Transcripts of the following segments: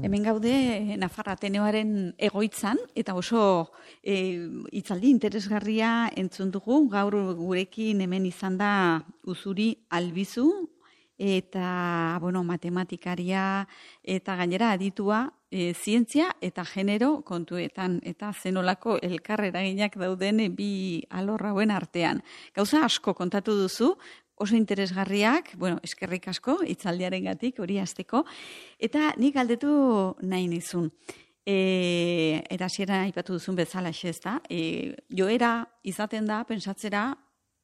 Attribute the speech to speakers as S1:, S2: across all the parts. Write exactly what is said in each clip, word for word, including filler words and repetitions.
S1: Hemen gaude Nafar Ateneoaren egoitzan, eta oso e, hitzaldi interesgarria entzun dugu. Gaur gurekin hemen izan da Uzuri Albizu, eta bueno, matematikaria eta gainera aditua e, zientzia eta genero kontuetan, eta zenolako elkarreraginak dauden bi alor hauen artean. Gauza asko kontatu duzu, oso interesgarriak, bueno, eskerrik asko, hitzaldiarengatik hori hasteko, eta nik galdetu nahi nizun. E, eta hasiera aipatu duzun bezala ez da, e, joera izaten da, pentsatzera,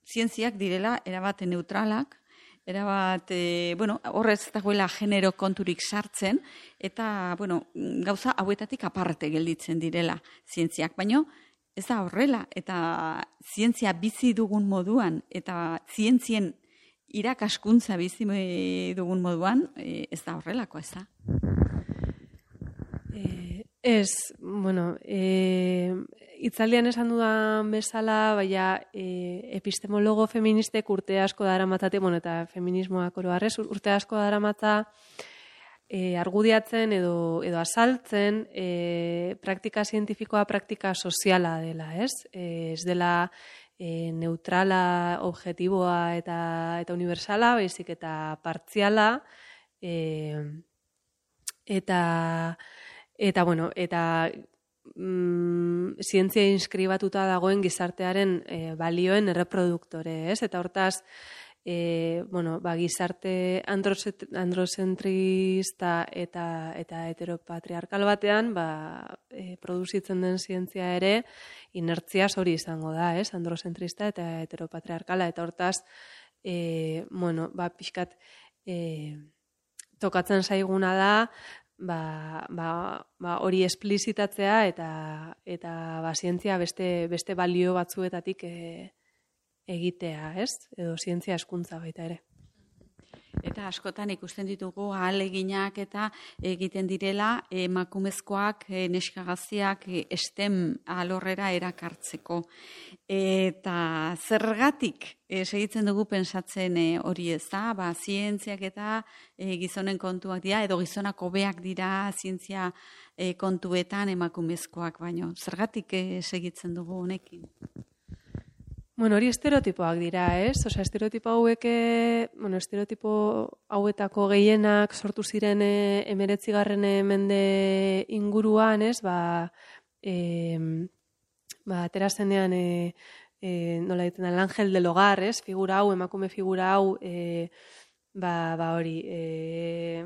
S1: zientziak direla erabat neutralak, erabat, e, bueno, horrez dagoela genero konturik sartzen, eta, bueno, gauza hauetatik aparte gelditzen direla zientziak, baino, ez da horrela, eta zientzia bizi dugun moduan, eta zientzien irakaskuntza bizi dugun moduan, ez da horrelako, ez da?
S2: Eh, ez, bueno, eh, itzaldian esan dudan bezala, baina eh, epistemologo feministek urte asko daramatzate, bueno, eta feminismoak oro harrez, urte asko daramatza eh, argudiatzen edo, edo azaltzen eh, praktika zientifikoa praktika soziala dela, ez? Eh, ez dela E, neutrala, objetiboa eta eta universala, baizik eta partziala, e, eta eta bueno, eta mm, zientzia inskribatuta dagoen gizartearen e, balioen erreproduktore, ez? Eta hortaz, e, bueno, ba, gizarte androzentrista eta eta heteropatriarkal batean, ba, e, produzitzen den zientzia ere inertziaz hori izango da, ez? Androzentrista eta heteropatriarkala, eta hortaz, e, bueno, ba, pixkat e, tokatzen zaiguna da, ba, ba, ba, hori esplizitatzea eta eta ba, zientzia beste, beste balio batzuetatik e, egitea, ez? Edo zientzia hezkuntza baita ere.
S1: Eta askotan ikusten ditugu ahaleginak eta egiten direla emakumezkoak, neskagaziak STEM alorrera erakartzeko. Eta zergatik segitzen dugu pensatzen hori ez da, ba, zientziak eta gizonen kontuak dira, edo gizonak hobeak dira zientzia kontuetan emakumezkoak baino. Zergatik segitzen dugu honekin?
S2: Bueno, hori estereotipoak dira, ez? Osea, estereotipo hauek, bueno, estereotipo hauetako gehienak sortu ziren emeretzigarren mende inguruan, ez? Ba, e, ba atera zenean, e, e, nola ditzen da, el ángel del hogar, ez? Figura hau, emakume figura hau, e, ba, ba hori, e,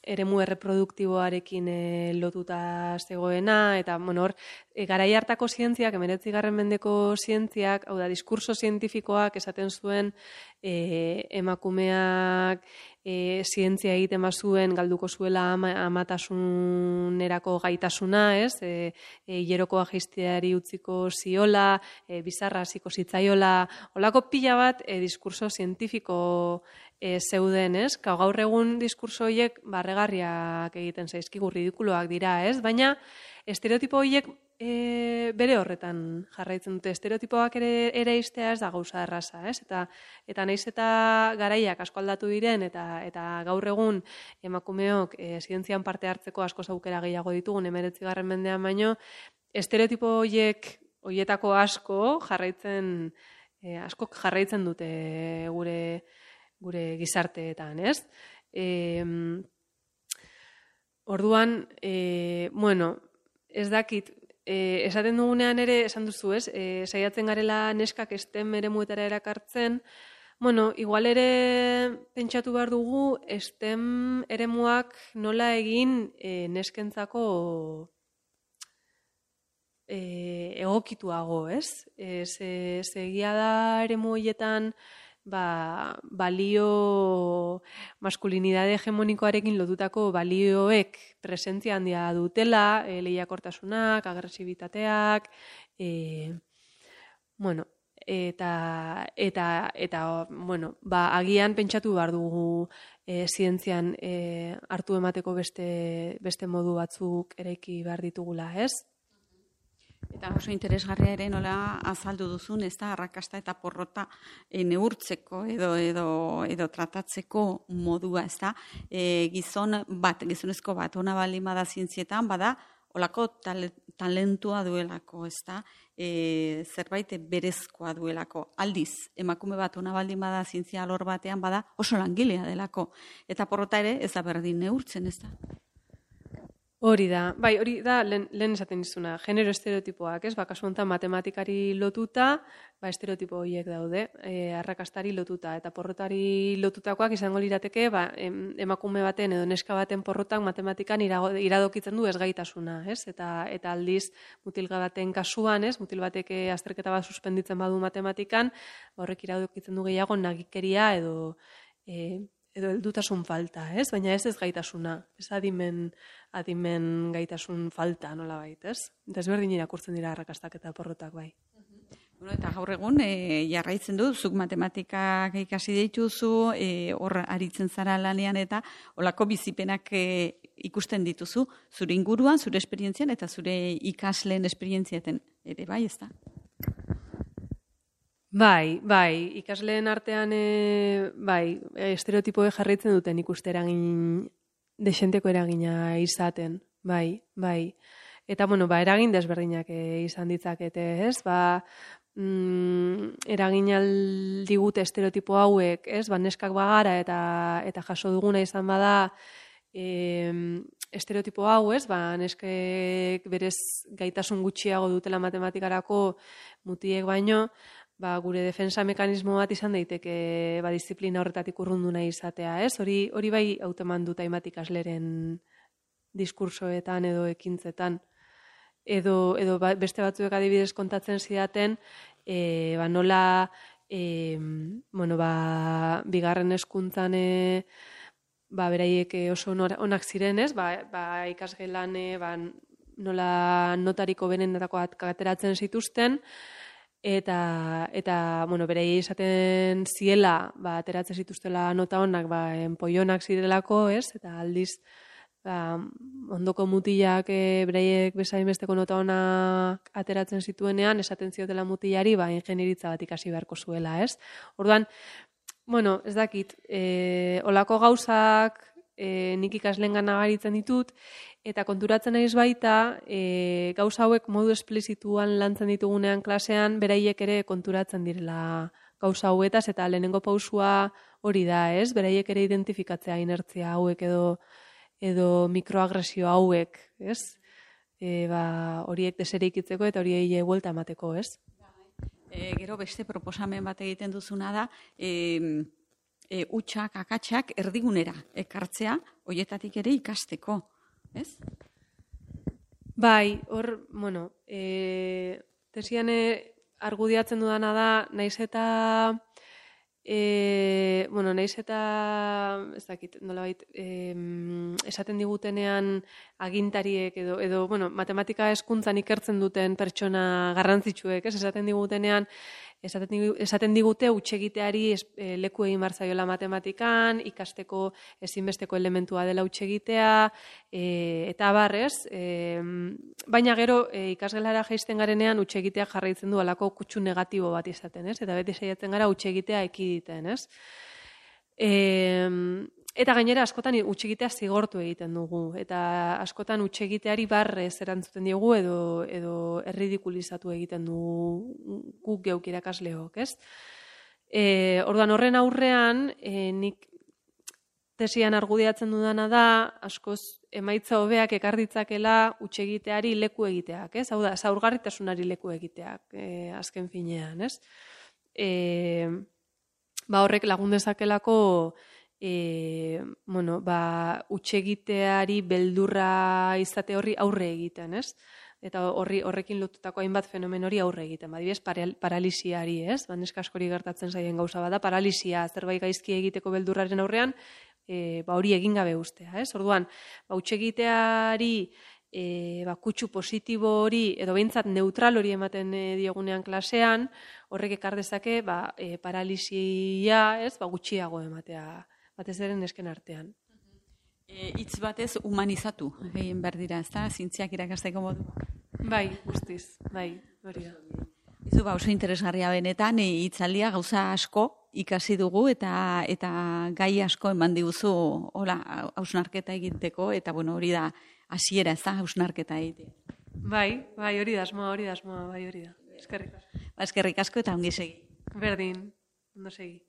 S2: eremu erreproduktiboarekin e, lotuta zegoena, eta, bueno, hor, e, garai hartako zientziak, emeretzigarren mendeko zientziak, hau da, diskurso zientifikoak esaten zuen e, emakumeak e, zientzia egiten bazuen galduko zuela ama, amatasunerako gaitasuna, ez? E, e, hilerokoa jaisteari utziko ziola, e, bizarra hasiko zitzaiola, holako pila bat e, diskurso zientifiko E, zeuden, ez? Gaur egun diskurso horiek barregarriak egiten zaizkigu, ridikuloak dira, ez? Baina estereotipo horiek e, bere horretan jarraitzen dute. Estereotipoak ere ere iztea ez da gauza erraza, ez? Eta eta naiz eta garaiak asko aldatu diren eta eta gaur egun emakumeok e, zientzian parte hartzeko asko aukera gehiago ditugun emeretzigarren mendean baino, estereotipo horiek horietako asko jarraitzen e, asko jarraitzen dute gure gure gizarteetan, ez? E, orduan, e, bueno, ez dakit, e, esaten dugunean ere, esan duzu, ez? E, saiatzen garela neskak STEM eremuetara erakartzen, bueno, igual ere pentsatu behar dugu STEM eremuak nola egin e, neskentzako e, egokituago, ez? E, ze, ze egia da eremu horietan Ba, balio maskulinidade hegemonikoarekin lotutako balioek presentzia handia dutela, e, lehiakortasunak, agresibitateak, e, bueno, eta, eta, eta bueno, ba, agian pentsatu behar dugu e, zientzian e, hartu emateko beste, beste modu batzuk eraiki behar ditugula, ez?
S1: Eta oso interesgarria ere nola azaldu duzun, ez da, arrakasta eta porrota e, neurtzeko edo, edo, edo tratatzeko modua, ez da, e, gizon bat, gizonezko bat, ona baldin bada zientzietan, bada, olako tal, talentua duelako, ez da, e, zerbait berezkoa duelako. Aldiz, emakume bat ona baldin bada zientzia alor batean, bada oso langilea delako. Eta porrota ere ez da berdin neurtzen, ez da.
S2: Hori da, bai, hori da, lehen, lehen esaten izuna, genero estereotipoak, ez? Ba, kasu honetan matematikari lotuta, ba, estereotipo horiek daude, e, arrakastari lotuta, eta porrotari lotutakoak izango lirateke, ba, em, emakume baten edo neska baten porrotak matematikan irago, iradokitzen du ezgaitasuna, ez? Eta, eta aldiz, mutilga baten kasuan, ez? Mutil batek azterketa bat suspenditzen badu matematikan, horrek iradokitzen du gehiago nagikeria edo e, edo heldutasun falta, ez? Baina ez ez gaitasuna, ez adimen, adimen gaitasun falta nolabait, ez? Desberdin irakurtzen dira arrakastak eta porrotak bai.
S1: Bueno, eta gaur egun e, jarraitzen du, zuk matematikak ikasi dituzu, e, hor aritzen zara lanean eta olako bizipenak e, ikusten dituzu, zure inguruan, zure esperientzian eta zure ikasleen esperientziaten ere bai, ez da?
S2: Bai, bai, ikasleen artean e, bai, estereotipoe jarraitzen duten ikuste eragin, desenteko eragina izaten, bai, bai. Eta, bueno, ba, eragin desberdinak e, izan ditzakete, ez? Ba, mm, eragin aldigute estereotipo hauek, ez? Ba, neskak bagara eta, eta jaso duguna izan bada e, estereotipo hau, ez? Ba, neskek berez gaitasun gutxiago dutela matematikarako mutiek baino, ba, gure defensa mekanismo bat izan daiteke ba, disiplina horretatik urrundu nahi izatea, ez? Hori, hori bai hauteman dut hainbat ikasleren diskursoetan edo ekintzetan. Edo, edo ba, beste batzuek adibidez kontatzen zidaten, e, ba, nola e, bueno, ba, bigarren hezkuntzan e, ba, beraiek oso onak ziren, ez? Ba, ba, ikasgelan e, ba, nola notariko benenetako ateratzen zituzten, Eta, eta bueno, berei esaten ziela, ba, ateratzen zituztela nota honak, ba, enpoionak zirelako, ez? Eta aldiz, ba, ondoko mutilak e, bereiek bezain besteko nota honak ateratzen zituenean, esaten ziotela mutilari, ba, ingenieritza bat ikasi beharko zuela, ez? Orduan, bueno, ez dakit, e, olako gauzak e, nik ikasleen gana garitzen ditut, eta konturatzen naiz baita, e, gauza hauek modu esplizituan lantzen ditugunean klasean, beraiek ere konturatzen direla gauza hauetaz, eta lehenengo pausua hori da, ez? Beraiek ere identifikatzea inertzia hauek edo, edo mikroagresio hauek, ez? E, ba, horiek desereikitzeko eta horiei buelta emateko, ez?
S1: E, gero beste proposamen bat egiten duzuna da, e, e, utxak, akatsak erdigunera ekartzea, horietatik ere ikasteko. Ez?
S2: Bai, hor, bueno, e, tesian argudiatzen dudana da, naiz eta, e, bueno, naiz eta, ez dakit, nolabait, e, esaten digutenean agintariek edo, edo, bueno, matematika hezkuntzan ikertzen duten pertsona garrantzitsuek, ez, esaten digutenean, esaten digute hutsegiteari leku egin behar zaiola matematikan, ikasteko ezinbesteko elementua dela hutsegitea, e, eta barrez, e, baina gero e, ikasgelara jaisten garenean hutsegitea jarraitzen du alako kutsu negatibo bat izaten, ez? Eta beti saiatzen gara hutsegitea ekiditen, ez? E, Eta gainera askotan hutsegitea zigortu egiten dugu, eta askotan hutsegiteari barrez erantzuten diogu edo, edo erridikulizatu egiten dugu guk geuk irakasleok, ez? E, orduan horren aurrean, e, nik tesian argudiatzen dudana da, askoz emaitza hobeak ekar ditzakela hutsegiteari leku egiteak, ez? Hau da, zaurgarritasunari leku egiteak, e, azken finean, ez? E, ba horrek lagun dezakelako E, bueno, ba, hutsegiteari beldurra izate horri aurre egiten, ez? Eta horri horrekin lotutako hainbat fenomen hori aurre egiten. Ba, adibidez, paralisiari, ez? Ba, neska askori gertatzen zaien gauza bada, paralisia zerbait gaizki egiteko beldurraren aurrean, e, ba, hori egin gabe ustea, ez? Orduan, ba, hutsegiteari e, ba, kutsu positibo hori, edo behintzat neutral hori ematen e, diogunean klasean, horrek ekar dezake, ba, e, paralisia, ez? Ba, gutxiago ematea batez ere nesken artean.
S1: E, hitz batez humanizatu egin behar dira, ez da? Zientziak irakasteko modu.
S2: Bai, guztiz, bai, hori da.
S1: Izu, ba, oso interesgarria benetan, hitzaldia gauza asko ikasi dugu eta eta gai asko eman diguzu hola hausnarketa egiteko eta bueno, hori da hasiera, ez da, hausnarketa egitea.
S2: Bai, bai, hori da asmoa, hori da asmoa, bai, hori da. Eskerrik asko.
S1: Ba, eskerrik asko eta ongi segi.
S2: Berdin, ondo segi.